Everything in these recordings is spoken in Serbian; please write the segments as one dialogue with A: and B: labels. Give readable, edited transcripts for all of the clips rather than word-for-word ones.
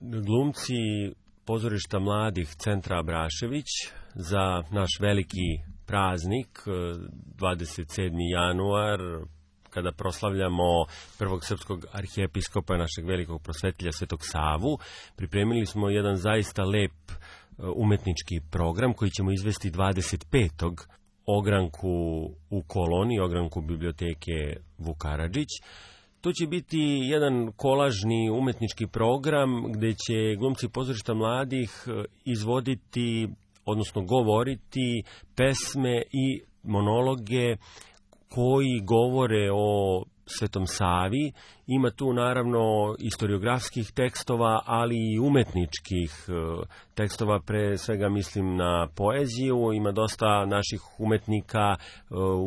A: Glumci pozorišta mladih Centra Abrašević za naš veliki praznik 27. januar, kada proslavljamo prvog srpskog arhijepiskopa, našeg velikog prosvetlja Svetog Savu, pripremili smo jedan zaista lep umetnički program koji ćemo izvesti 25. ogranku u Koloni, ogranku biblioteke Vuk Karadžić. To će biti jedan kolažni umetnički program gde će glumci pozorišta mladih izvoditi, odnosno govoriti pesme i monologe koji govore o Svetom Savi. Ima tu naravno istoriografskih tekstova, ali i umetničkih tekstova, pre svega mislim na poeziju. Ima dosta naših umetnika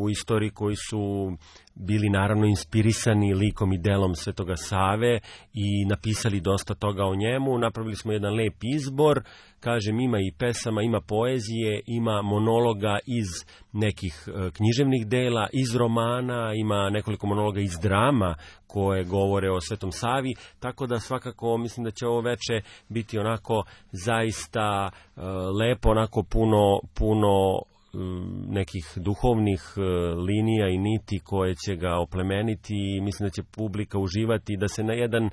A: u istoriji koji su bili naravno inspirisani likom i delom Svetoga Save i napisali dosta toga o njemu. Napravili smo jedan lep izbor, kažem, ima i pesama, ima poezije, ima monologa iz nekih književnih dela, iz romana, ima nekoliko monologa iz drama koje govore o Svetom Savi, tako da svakako mislim da će ovo veče biti onako zaista lepo, onako puno nekih duhovnih linija i niti koje će ga oplemeniti i mislim da će publika uživati da se na jedan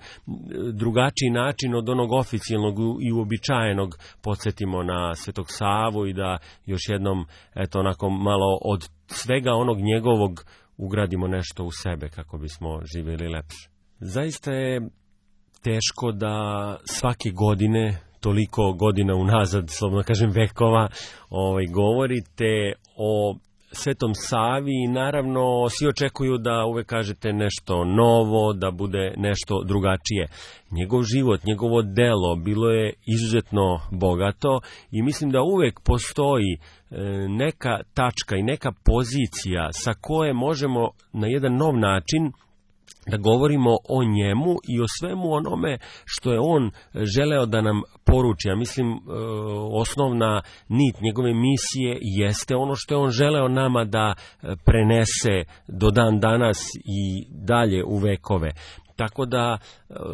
A: drugačiji način od onog oficijalnog i uobičajenog podsjetimo na Svetog Savu i da još jednom eto onako malo od svega onog njegovog ugradimo nešto u sebe kako bismo živjeli lepše. Zaista je teško da svake godine, toliko godina unazad, slobodno kažem vekova, govorite o Svetom Savi i naravno svi očekuju da uvek kažete nešto novo, da bude nešto drugačije. Njegov život, njegovo delo bilo je izuzetno bogato i mislim da uvek postoji neka tačka i neka pozicija sa koje možemo na jedan nov način da govorimo o njemu i o svemu onome što je on želeo da nam poruči. Ja mislim, osnovna nit njegove misije jeste ono što je on želeo nama da prenese do dan danas i dalje u vekove. Tako da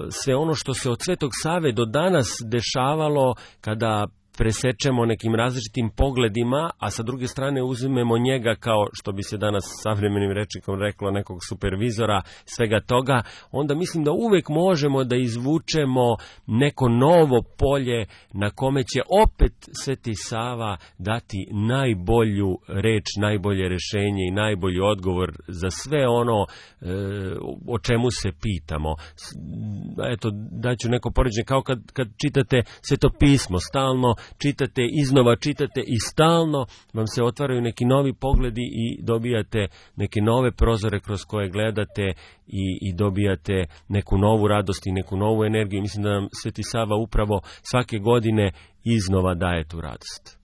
A: sve ono što se od Svetog Save do danas dešavalo kada presečemo nekim različitim pogledima, a sa druge strane uzmemo njega kao, što bi se danas savremenim rečnikom reklo, nekog supervizora svega toga, onda mislim da uvek možemo da izvučemo neko novo polje na kome će opet Sveti Sava dati najbolju reč, najbolje rešenje i najbolji odgovor za sve ono o čemu se pitamo. Eto, daću neko poređenje, kao kad čitate Sveto pismo, stalno čitate, iznova čitate i stalno vam se otvaraju neki novi pogledi i dobijate neke nove prozore kroz koje gledate i dobijate neku novu radost i neku novu energiju. Mislim da nam Sveti Sava upravo svake godine iznova daje tu radost.